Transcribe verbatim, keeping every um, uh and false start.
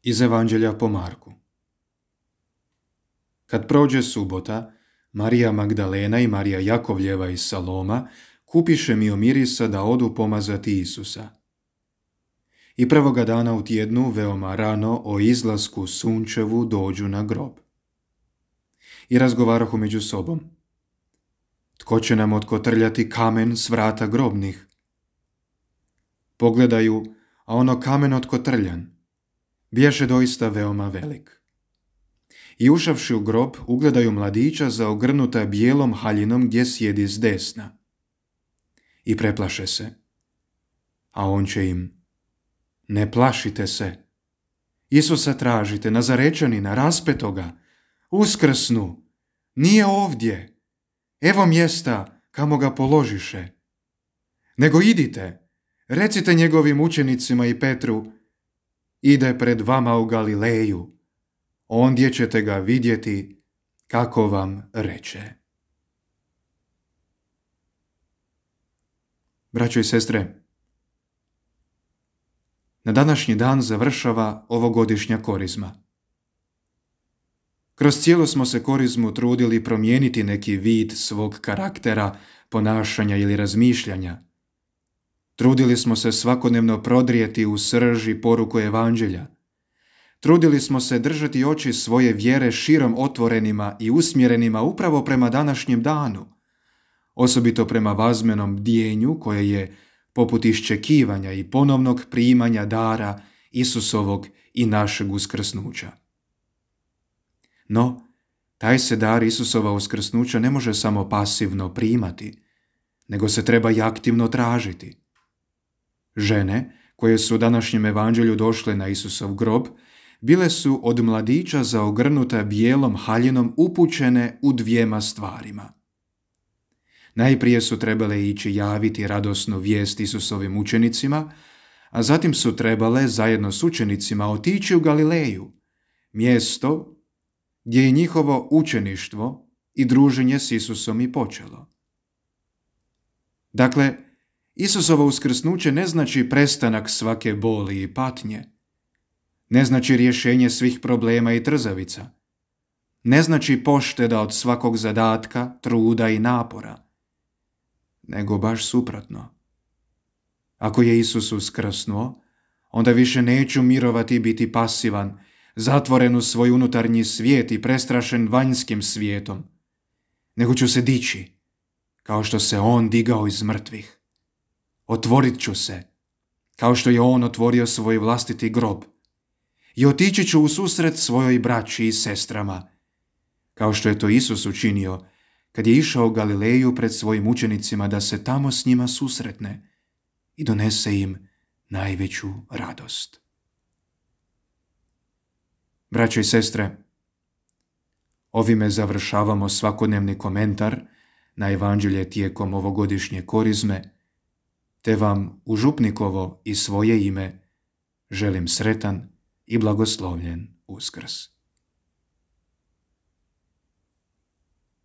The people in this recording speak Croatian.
Iz Evanđelja po Marku. Kad prođe subota, Marija Magdalena i Marija Jakovljeva iz Saloma kupiše miomirisa da odu pomazati Isusa. I prvoga dana u tjednu, veoma rano, o izlasku sunčevu dođu na grob. I razgovarahu među sobom. Tko će nam otkotrljati kamen s vrata grobnih? Pogledaju, a ono kamen otkotrljan biješe doista veoma velik. I ušavši u grob, ugledaju mladića zaogrnuta bijelom haljinom gdje sjedi s desna. I preplaše se. A on će im: ne plašite se. Isusa tražite, Nazarečanina, raspetoga. Uskrsnu. Nije ovdje. Evo mjesta kamo ga položiše. Nego idite, recite njegovim učenicima i Petru: ide pred vama u Galileju. Ondje ćete ga vidjeti kako vam reče. Braćo i sestre, na današnji dan završava ovogodišnja korizma. Kroz cijelu smo se korizmu trudili promijeniti neki vid svog karaktera, ponašanja ili razmišljanja. Trudili smo se svakodnevno prodrijeti u srž i poruku Evanđelja. Trudili smo se držati oči svoje vjere širom otvorenima i usmjerenima upravo prema današnjem danu, osobito prema vazmenom bdijenju koje je poput iščekivanja i ponovnog primanja dara Isusovog i našeg uskrsnuća. No, taj se dar Isusova uskrsnuća ne može samo pasivno primati, nego se treba i aktivno tražiti. Žene koje su u današnjem evanđelju došle na Isusov grob bile su od mladića zaogrnuta bijelom haljinom upućene u dvijema stvarima. Najprije su trebale ići javiti radosnu vijest Isusovim učenicima, a zatim su trebale zajedno s učenicima otići u Galileju, mjesto gdje je njihovo učeništvo i druženje s Isusom i počelo. Dakle, Isusovo uskrsnuće ne znači prestanak svake boli i patnje, ne znači rješenje svih problema i trzavica, ne znači pošteda od svakog zadatka, truda i napora, nego baš suprotno. Ako je Isus uskrsnuo, onda više neću mirovati i biti pasivan, zatvoren u svoj unutarnji svijet i prestrašen vanjskim svijetom, nego ću se dići, kao što se on digao iz mrtvih. Otvorit ću se, kao što je on otvorio svoj vlastiti grob, i otići ću u susret svojoj braći i sestrama, kao što je to Isus učinio kad je išao u Galileju pred svojim učenicima da se tamo s njima susretne i donese im najveću radost. Braćo i sestre, ovime završavamo svakodnevni komentar na evanđelje tijekom ovogodišnje korizme, te vam u župnikovo i svoje ime želim sretan i blagoslovljen Uskrs.